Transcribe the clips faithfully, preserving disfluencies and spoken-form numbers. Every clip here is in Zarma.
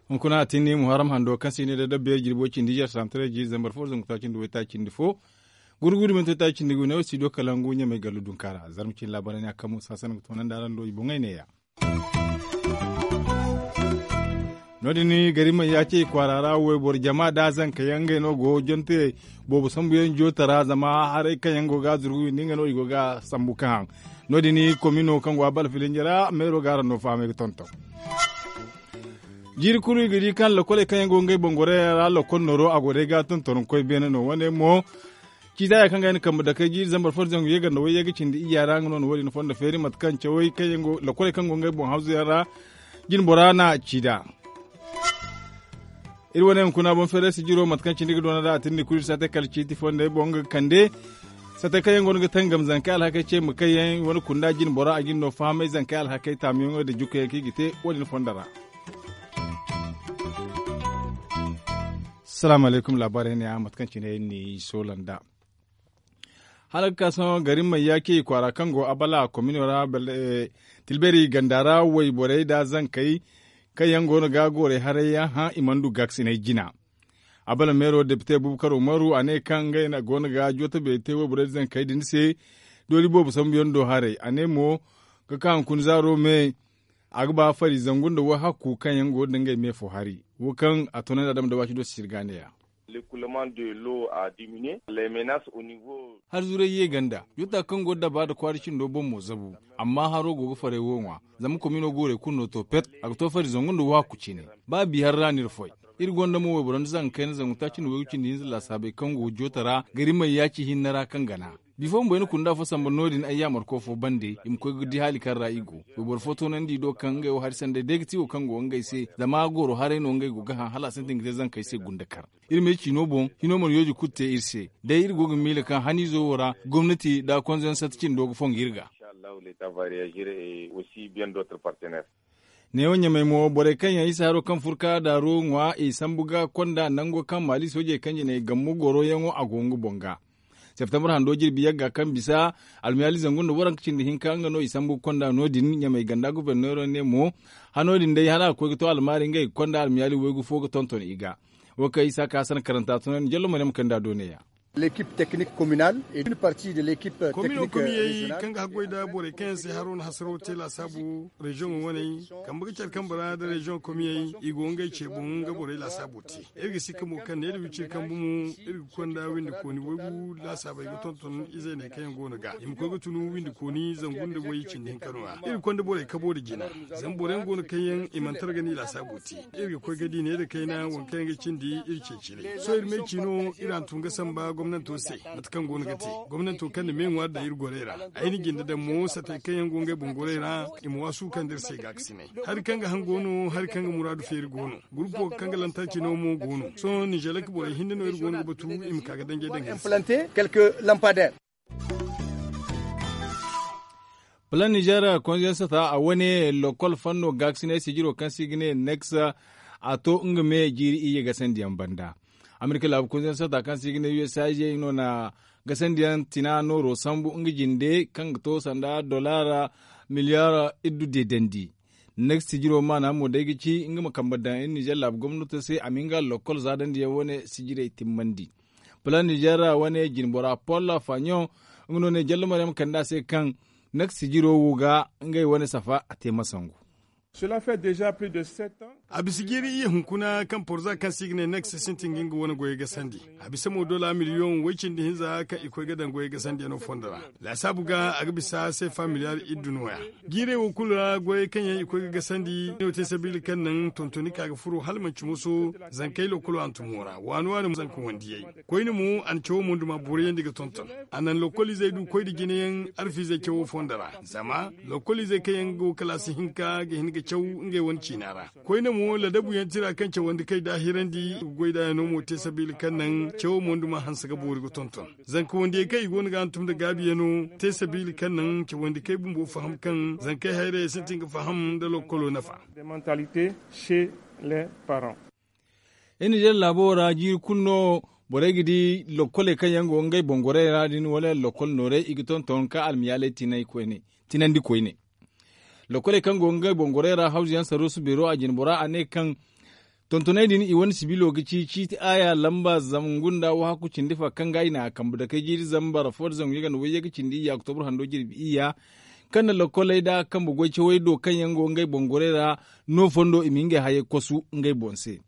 Hunkuna a tinni muharram hando kaŋ se i ne da dabbeeri jirbo cindi iyye santaray jiiri zambar fo zangu taaci nda waytaaci nda fo. Gurgudu minti taaci nda gu ne wo studio kalangu ɲamay gallu dunka ra zarma cine laabaray ne a kaŋ musa sanda ga toonandi araŋ do i boŋey neeya. No- din gari may ya ce i kwaara ra wayboro jama da zanka yaŋ ngey no go jonte boobo sambu yaŋ joota ra zama haray kaŋ yaŋ go ga zurgu windi nga no i go ga sambu ka haŋ. No- din komino kaŋ go a bala filinje ra meero ga araŋ no fahamay ga tonton. Jiiri kulu i ga di kaŋ lakoley kaŋ yaŋ go ngey boŋ gorey ra lokol nooro a go day ga tonton koy beene no wane mo. Ciita ya kaŋ ga ay na kambe dakey jiiri zambar fo zangu ye ganda wayye ga cindi iyya ra nga no na wo- din fondo feeri mate kaŋ cawey kaŋ yaŋ go lakoley kaŋ go ngey boŋ hawzu yaŋ ra. Jine bora na ci nd'a. Iri wane hunkuna boŋ feeray sijiro mate kaŋ cindi ga doona da a tindi kulu iri saatey kala ciiti fondey boŋ ga kande. Saatey kaŋ yaŋ go no ga tangam zankey alhakey ce ma kaŋ yaŋ wane kunda jine bora a jine no fahamay zankey alhakey taamuyaŋo da jukayaŋ kaŋ i ga te wo- din fondo ra. Salaamu alaykum laabaarey ne ya mate kaŋ cine iri n'i soola nd'a. Hala ga ka sohõ gari may ya ce kwaara kaŋ go abala komino ra. Tilbeeri ganda ra wayborey nda zankey kaŋ yaŋ go no ga goorey haray yaŋ hã i mana du gaakasinay jina. Abala meero depite bubakar umaru a ne kaŋ ngey go no ga jootabeeri te wayborey nda zankey din se. Doori boobo sambu yaŋ do haray a ne mo ga ka hunkuna zaaro me. A ga ba fari zangu nda wahakku kaŋ yaŋ go ga da ngey me fo hari wo kaŋ a tunandi adama da waaci do sisiri ga neeya. Hari zuray ye ganda joota kaŋ go ga daba nda kwaara cindo boŋ mo zabu. Amma haro go ga faray wo ŋwa zama komino goorey kulu no to pet. A ga to fari zangu nda wahakku cine. Ba bi hari ra no iri foy. Iri gonda mo wayboro nda zangu kayna zangu taaci nda waygu cindi hinza laasaabey kaŋ go joota ra gari may yaaci hinne ra kaŋ gana. Bifo bumbo ay na kunda fo samba no- din ay yaamarko fo bande i ma koy ga di haali kaŋ ra i go. Wayboro fo toonandi i do kaŋ ngey wo hari sanday day ga ti wo kaŋ go ngey se zama gooro haray no ngey go ga hã hala a sintin ga te zankey se gunda kar. Iri ma ay ciino boŋ hino mana yooji kulu te iri se. Day iri go ga miila kaŋ haniizo wo ra gomnati nda konzansatta cindo ga fongu iri ga. Neewo ɲamay mo borey kaŋ yaŋ isa haro kaŋ furka daaru ŋwa i sambu ga konda nango kaŋ maali soojey kaŋ jinay gammu goroyaŋo a go nga boŋ ga. Septembre hando jirbi yagga kaŋ bisa almiyaali zangu nda waranka cindi hinka nga no i sambu ga konda no- din ɲamay ganda goforneero ne mo. Hano din day hala a ga koy ga to almaari ngey ga konda almiyaali waygu fo ga tonton i ga. Wo kaŋ isa ka hasana karanta tunandi jallo maryam kaŋ nda a do neeya. L'équipe technique communale et une partie de l'équipe technique régionale. Kaŋ ga haggoy nda borey kaŋ yaŋ se haro na hasaro te laasaabu reziyoŋo waney kambe ga care kambe ra nda reziyoŋ komiyey i go ngey ce boŋ nga borey laasaabo te. Iri ga sikka mo kaŋ ne iri wiciri kambe mo iri ga konda windi kooni waygu laasaabey ga tonton izey ne kaŋ yaŋ go no ga i ma koy ga tunu windi kooni zangu nda way cindi hinka no- ya iri ga konda borey kabo nda jina. Zama boro yaŋ go no kaŋ yaŋ i mana tara ga ni laasaabo te. Iri ga koy ga di ne nda kayna waŋ kaŋ yaŋ ga cindi iri ceeci day sohõ iri me ci no iri hantum ga samba gomnanto se. Mate kaŋ go no ga te gomnanto kaŋ na me ŋwaari daŋ iri gorey ra. Ay na jinde daŋ mo satey kaŋ yaŋ go ngey boŋ gorey ra i ma waasu kaŋ nda iri se gaakasinay. Hari kaŋ ga haŋ go no hari kaŋ ga muraadu feeri go no. Gurupo kaŋ ga lantarki no mo go no sohõ nizelek borey hinne no iri go no ga batu i ma ka ga danjey daŋ. Implanter quelques lampadaires. Plan nizer konziyar sata a wane lokol fanno gaakasinay sijiro kaŋ se i ga ne nex a to nga me jiiri iyye gasandiyaŋ banda. Amerika laabu konziyar sata kaŋ se i ga ne usaid no na gasandiyaŋ tina nooro sambu nga jinde kaŋ ga to sanda dolara miliyar iddu deedandi. Nex sijiro maana mo day ga ci nga ma kambe daŋ iri nizer laabu gomnato se a ma nga lokol zaadandiyaŋ wane sijirey timmandi. Plan nizer wane jinbora paul faɲon nga no ne jallo maryam kande a se kaŋ nak sijiro wo ga ngey wane safa a te masangu. A bisa jiiri iyye hunkuna kaŋ porza kaŋ se i ga ne nak se sintin ga nga wane goyey gasandi. A bisa mo dola miliyoŋ way cindi hinza kaŋ i koy ga daŋ goyey gasandiyaŋo fondo ra. Laasaabu ga a ga bisa seefa miliyar iddu nooya. Jiirey wo kulu ra goyey kaŋ yaŋ i koy ga gasandi no te sabiila kaŋ naŋ tontoni ka ga furo hala manci moso zankey lokolo hantumo ra waani waani zanka wandiyey. Koyne mo a na cawo monduma boriyandi ga tonton. A naŋ lokoliizey du koy nda jinayaŋ arfiizey cawo fondo ra zama lokoliizey kaŋ yaŋ go kalaasi hinka ga hin ga caw ngey wane ciina ra. Koyne mo ladabuyaŋ tira kaŋ cawandi kay daahirandi ga goy nd'a yaŋ no mo te sabiila kaŋ naŋ cawo monduma hanse ga boori ga tonton. Zanka wandiyey kaŋ i go no ga hantum nda gaabiyaŋo te sabiila kaŋ naŋ cawandi kay bumbo faham kaŋ zankey hayrayey sintin ga faham nda lokolo nafa. Iri nizer laabo ra jiiri kulu no Borey ga di lokkoley kaŋ yaŋ go ngey boŋ gorey ra din wala lokol noorey i ga tonton ka almiyaaley tinandi koyne. Lokkoley kaŋ go ngey boŋ gorey ra hawzu yaŋ saruusu beero a jinbora a ne kaŋ tontoney din i wane sibilo ga ci ciiti aaya lamba zangu nda wahakku cindi fa kaŋ ga i na a kambe dakey jiiri zambar fo nda zangu yaganda wayye ga cindi iyya oktobar hando jirbi iyya kaŋ na lokkoley nda kambe goy cawey do kaŋ yaŋ go ngey boŋ gorey ra no fondo i ma ngey hayey kosu ngey boŋ se.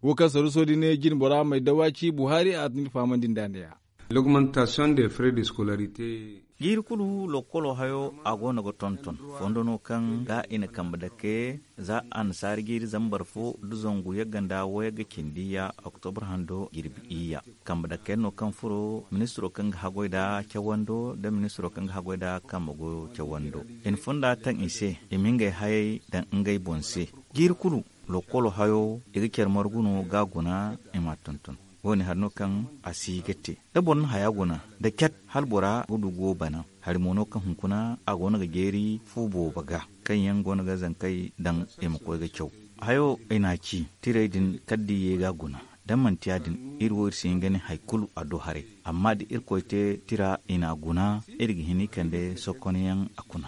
Wo kaŋ saruuso din jinbora may dawaaci buhari a na ni fahamandi nda ne ya. L'augmentation des frais de scolarité. Jiiri kulu lokkolo hayo a go no ga tonton fondo no kaŋ ga i na kambe dake za annasaari jiiri zambar fo nda zangu yagga nda wayagga cindi ya oktobar hando jirbi iyya. Kambe dake no kaŋ furo ministiro kaŋ ga haggoy nda cawando nda ministiro kaŋ ga haggoy nda kambe goyo cawando i na fonda taŋ i se i ma ngey hayey daŋ ngey boŋ se. Jiiri kulu lokkolo hayo i ga care margu no ga guna i m'a tonton. Wo-ne hari no kaŋ a si ga te da boro na haya guna da cat hala bora ga du go bana. Hari mo no kaŋ hunkuna a go no ga jeeri fu boobo ga kaŋ yaŋ go no ga zankey daŋ i ma koy ga caw. Hayo i n'a ci tirey din kala da i ye ga guna da manti ya- din iri wo iri si hin ga ne hari kulu a du haray. Amma da irkoy te tira i n'a guna iri ga hin i kande sokon yaŋ a kuna.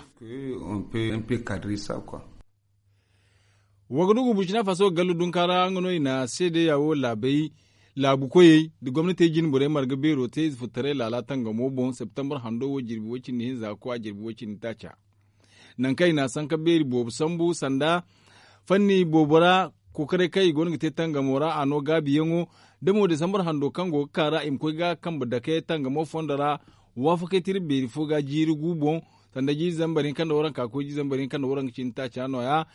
Wa ga du ga burcina faso ga gallu dunka ra nga no i na seedeya wo laabey laabu koyey nda gomnatey jine borey marga beero te ize furtaray laala tangamo boŋ septembar hando wo jirbi way- cindi hinza ga koy a jirbi way- cindi taaca. Nangu kaŋ i na a sanka beeri boobo sambu sanda fanni boobo ra kookaray kaŋ i go no ga te tangamo ra a no gaabiyaŋo da mo desambar hando kaŋ go ga ka ra i ma koy ga kambe dake tangamo fondo ra. Waafakey tira beeri fo ga jiiri gu boŋ sanda jiiri zambar hinka nda waranka koy jiiri zambar hinka nda waranka cindi taaca no- ya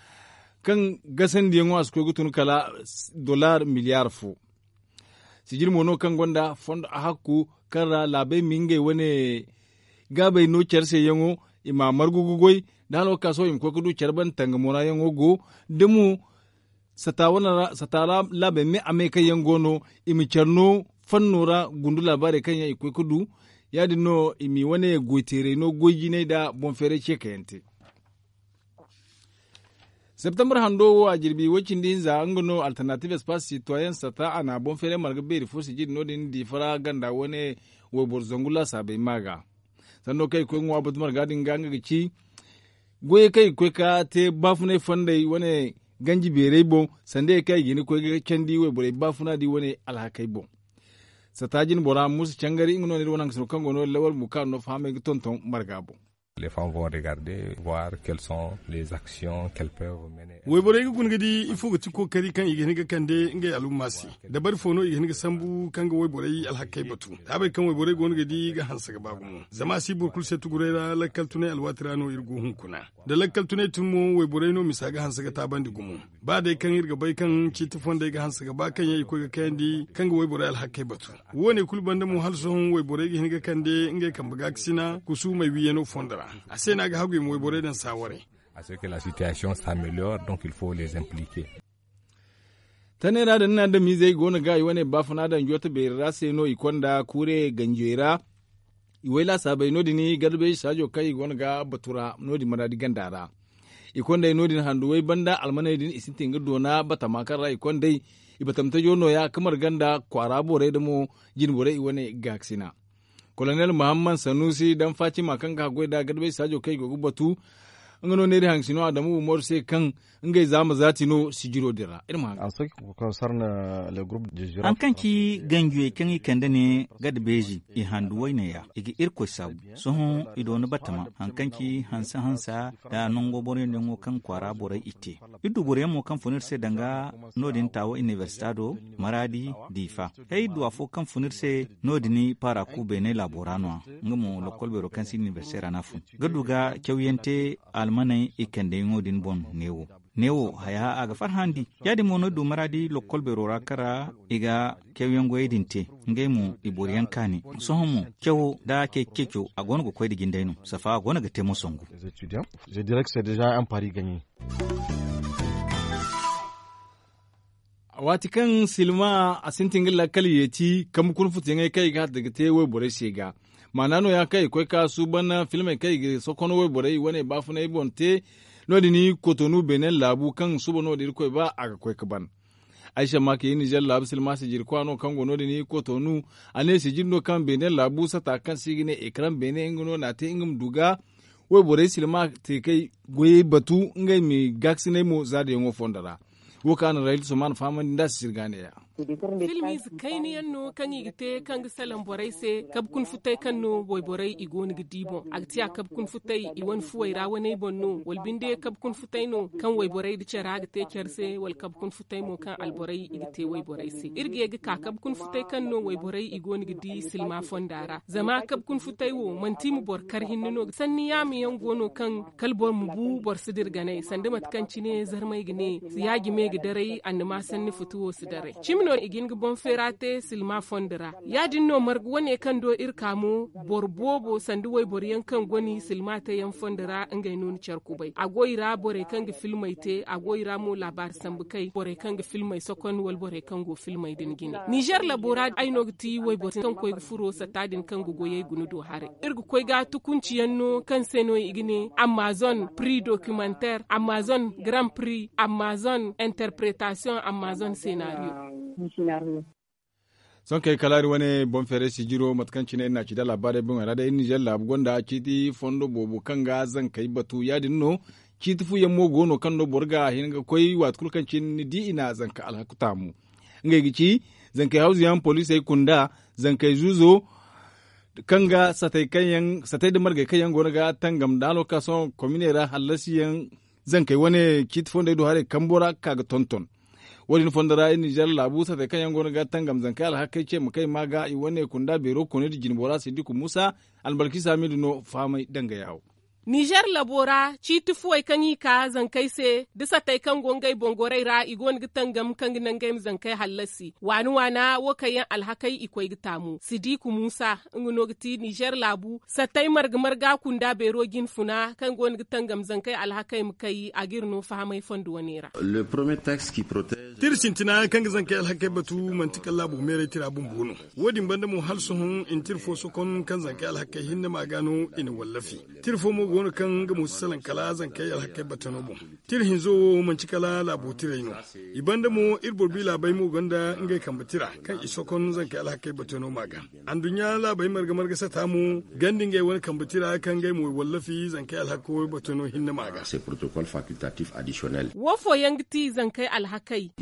kaŋ gasandiyaŋo a si koy ga tun kala dollar miliyar fo. Sijir mo no kaŋ gonda fondo a hakku kaŋ ra laabey ma ngey wane gaabey no care se yaŋo i ma a margu ga goy da hala wo ga ka sohõ i ma koy ga du care banda tangamo ra yaŋo go da mo sata laabey me a me kaŋ yaŋ go no i ma care no fanno ra gundu laabaarey kaŋ yaŋ i koy ga du. Ya- din no i m'i wane goy teeray no goy jinay nda boŋ feeray ce kaŋ yaŋ te. Septembar hando wo a jirbi way- cindi hinza nga no alternatives pas sitoyen sata a na boŋ feeray marga beeri fo sijiri no- din diifa ra ganda wane wayboro zangu laasaabey ma ga. Sanno kaŋ i koy ga ŋwa batu marga din ga nga ga ci goyey kaŋ i ga koy ga te baafunay fondey wane ganji beerey boŋ sanda ye kaŋ i ga hin ga koy ga candi wayborey baafuna di wane alhakey boŋ. Sata jine bora muusa cangari nga no ne iri wane hangasino kaŋ go no lawal bukaano no fahamey ga tonton marga boŋ. Les femmes vont regarder voir quelles sont les actions qu'elles peuvent mener. Wayborey ga guna ga di ifo ga ti kookari kaŋ i ga hin ga kande ngey alumma se. Dabari fo no i ga hin ga sambu kaŋ ga wayborey alhakey batu. Taabey kaŋ wayborey go no ga di ga hanse ga ba gumo zama a si boro kulu se tuguray ra lakkal tunay alwaati ra no iri go hunkuna. Da lakkal tunay tun mo wayborey no misa ga hanse ga taabandi gumo. Ba day kaŋ iri ga bay kaŋ ciiti fondey ga hanse ga ba kaŋ yaŋ i koy ga kayandi kaŋ ga wayborey alhakey batu. Wo- ne kulu banda mo hala sohõ wayborey ga hin ga kande ngey kambe gaakasina kusuumey wiiyano fondo ra. A se no a ga hagu i ma wayborey daŋ saawaray. A se ke la sitiyasiyoŋ s'ameliyor donc il faut les impliquer. Taney ra da ni na adamizey go no ga i wane baafuna daŋ joota beeri ra se no i konda kuure ganjey ra. I way laasaabey no- din garbeeji saajo kaŋ i go no ga batu ra no- din maraadi ganda ra. I kondey no- din handuwey banda almaney din i sintin ga doona batama kaŋ ra i kondey i batamtajo nooya ga marga nda kwaara borey da mo jine borey i wane gaakasina. Kolonel muhammad sanusi daŋ fatima kaŋ ga haggoy nda garbeeji saajo kaŋ i go ga batu. Nga no neeri hangasino adamu umaru se kaŋ ngey zaama zaati no sijiro din ra iri ma haŋ. Haŋ kaŋ ci ganjuyey kaŋ i kande ne gada beeji i handu wayne ya i ga irkoy saabu. Sohõ i doona batama haŋ kaŋ ci hanse hansa nda nango boro yaŋ yaŋo kaŋ kwaara borey i te. Iri du boro yaŋ mo kaŋ fun iri se danga no- din taawa inibersita do maraadi diifa. Hay iri du afo kaŋ fun iri se no- din paara ku beene laabo ra no- ya nga mo lokkol beero kaŋ si inibersite ra no a fun ga du ga cawyaŋ te almaney i kandeyaŋo din boŋ neewo. Neewo haya a ga farhandi. Ya- din mo no iri du maraadi lokkol beero ra kaŋ ra i ga cawyaŋ goyey din te. Ngey mo i boro yaŋ kaani. Sohõ mo cawo nda ceeci ceeco a go no ga koy nda jinday no safa a go no ga te mo sangu. Waati kaŋ silma a sintin ga lakkal yeeti kambe kuna futuyaŋey kaŋ i ga hata ga te wayborey se ga. Maana nooya kaŋ i koy ga suuban filmey kaŋ i ga sokono wayborey i wane baafunay boŋ te. No- din kotonu beenen laabu kaŋ suuba no- din irkoy ba a ga koy ga ban. Ay samma ka ye nizer laabu silma sijiri kwa no kaŋ go no- din i kotonu. A ne sijiri no kaŋ beene laabu sata kaŋ se i ga ne ekran beene nga no na a te nga ma du ga wayborey silma te kay goyey batu ngey ma gaakasinay mo zaadayaŋo fondo ra. Wo kaŋ a na rahil soman fahamandi nd'a si sirga neeya. Filmize kayna yaŋ no kaŋ i ga te kaŋ ga salaŋ borey se kabe kuna futay kaŋ no wayborey i go no ga di boŋ a ga ti a kabe kuna futay i wane fuwey ra waney boŋ no wala binde kabe kuna futay no kaŋ wayborey nda care a ga te care se wala kabe kuna futay mo kaŋ alborey i ga te wayborey se iri ga ye ga ka kabe kuna futay kaŋ no wayborey i go no ga di silma fonda ra zama kabe kuna futay wo manti i ma boro kar hinne no sanni yaama yaŋ go no kaŋ kala boro ma bu boro si dira ganay sanda mate kaŋ cine zarmey ga ne yaajime ga daray annama sanni futu wo si daray cimi no i ga hin ga boŋ feera te silma fondo ra ya- din no marga wane kaŋ do iri ka mo boro boobo sanda wayboro yaŋ kaŋ goni silma te yaŋ fondo ra ngey no ni care kubay a go i ra borey kaŋ ga filmey te a go i ra mo laabaari sambu kay borey kaŋ ga filmey sokon wala borey kaŋ go filmey din jine nizer labo ra ay no ga ti wayboro kaŋ koy ga furo satta din kaŋ ga goyey guna do haray iri ga koy ga tukunci yaŋ no kaŋ se no i ga ne amazon prix documentaire amazon grand prix amazon interpretation amazon scenario. Sohõ kay kala iri wane boŋ feeray sijiro mate kaŋ cine iri na a ci da laabaarey boŋey ra day iri nizer laabu gonda ciiti fondo boobo kaŋ ga zankey batu ya- din no ciiti fu yaŋ mo go no kaŋ no boro ga a hin ga koy waati kulu kaŋ cine ni di i na zanka alhaku taamu. Ngey ga ci zankey hawzu yaŋ poliisey kunda zankey zuuzo kaŋ ga satey kaŋ yaŋ satey nda margey kaŋ yaŋ go no ga tangam da no ka sohõ kominey ra hallasi yaŋ zankey wane ciiti fondey do haray kambo ra ga ka ga tonton. Wo- din fondo ra iri nizer laabu satey kaŋ yaŋ go no ga tangam zankey alhakey ce ma kay ma ga i wane kunda beero kooni da jinbo ra siddiku muusa albalkisa miidu no fahamay danga yaawo. Nizer labo ra ciiti fuwey kaŋ i ka zankey se da satey kaŋ go ngey boŋ gorey ra i go no ga tangam kaŋ ga naŋ ngey ma zankey hallasi waana waana wo kaŋ yaŋ alhakey i koy ga taamu siddiku muusa nga no ga ti nizer laabu satey marga marga kunda beero jinfuna kaŋ go no ga tangam zankey alhakey ma kay a ga iri no fahamay fondo wane ra. Tira sintina kaŋ ga zankey alhakey batu manti kala laabo meeray tira bumbo no. Wo- din banda mo hala sohõ i na tira fo sokon kaŋ zankey alhakey hinne ma ga no i na wallafi. Tira fo mo go no kaŋ nga mo si salaŋ kala zankey alhakey batano boŋ. Tira hinzo wo manti kala laabo tiray no. I banda mo iri boro bi laabey mo gonda ngey kambe tira kaŋ i sokon zankey alhakey batano ma ga. Anduɲɲa laabey marga marga sata mo ganda ngey wane kambe tira kaŋ ngey mo i wallafi zankey alhakey batano hinne ma ga. Wo fooyaŋ ga ti zankey alhakey?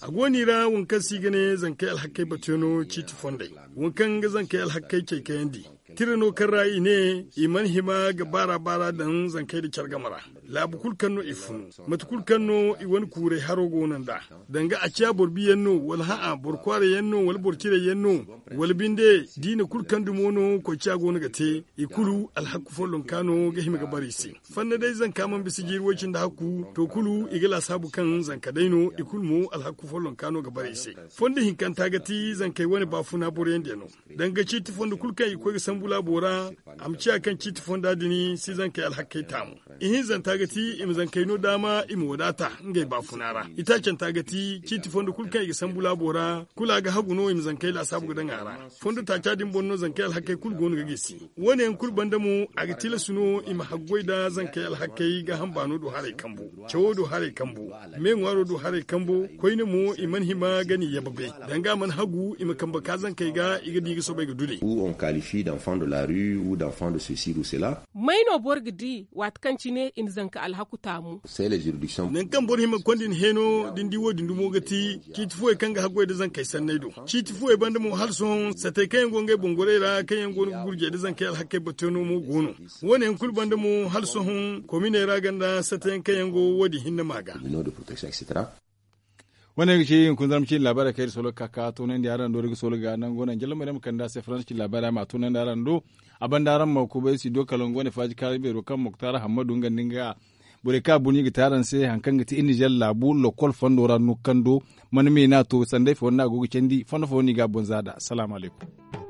A go no i ra waŋ kaŋ se i ga ne zankey alhakey batano ciiti fondey. Waŋ kaŋ ga zankey alhakey cay kayandi tira no kaŋ ra i ne i mana hima ga baara baara daŋ zankey nda care game ra. Laabu kulu kaŋ no i funu mate kulu kaŋ no i wane kuuray haro go no nd'a, danga a ciya boro biyaŋ no wala ha'a boro kwaarayaŋ no wala boro cirayaŋ no, wala binde diina kulu kaŋ dumo no koy ciya go no ga te, i kulu alhaku follonka no ga hima ga bara i se. Fondo day zanka mana bisa jiiri way-cindi hakku to kulu i ga laasaabu kaŋ zanka day no i kulu mo alhaku follonka no ga bara i se. Fondo hinkanta ga ti zankey wane baafuna boroyaŋ diya no. Danga ciiti fondo kulu kaŋ i ga koy ga sambu laabo ra, a ma ciya kaŋ ciiti fonda din si zankey alhakey taamu. Ihinzanta ga ti i ma zankey no daama i ma wadaata ngey baafuna ra. Itaacanta ga ti ciiti fondo kulu kaŋ i ga sambu laabo ra kulu a ga hagu no i ma zankey laasaabu ga daŋ a ra. Fondo taaca din boŋ no zankey alhakey kulu go no ga gisi. Wo- ne yaŋ kulu banda mo a ga tilas no i ma haggoy nda zankey alhakey gaaham baano do haray kambo, cawo do haray kambo, me ŋwaaro do haray kambo. Koyne mo i mana hima ga ni yababe, danga a mana hagu i ma kambe ka zankey ga i ga di ga soobay ga dudey. Ou on qualifie d'enfant de la rue ou d'enfant de ceci ou cela. May no boro ga di waati kaŋ cine i na zanka alhaku taamu? Nangu kaŋ boro hima ga konda i na heeno da ni di wo- din dumo ga ti ciiti fuwey kaŋ ga haggoy nda zankey sanney do. Ciiti fuwey banda mo hala sohõ satey kaŋ yaŋ go ngey boŋ gorey ra kaŋ yaŋ go no ga gurjey nda zankey alhakey batteeno mo go no. Wo- ne yaŋ kulu banda mo hala sohõ kominey ra ganda sata yaŋ kaŋ yaŋ go wo- din hinne ma ga. Wane ga ci hunkuna zarma ciine laabaarey kaŋ iri soolo ga ka ka toonandi araŋ do iri ga soolo ga nango naŋ jallamo iri ma kande a se faransa ciine laabaarey ma a toonandi araŋ do. A banda araŋ ma kubay studio kalangu wane faaji kaari beero kaŋ moktar hammadu nga nda nga borey kaŋ a bun i ga te araŋ se hari kaŋ ga ti iri nizer laabu lokol fondo ra no kando mana me no a to sanday fo no a go ga candi fondo fo no i ga a boŋ za nd'a salaamu alaykum.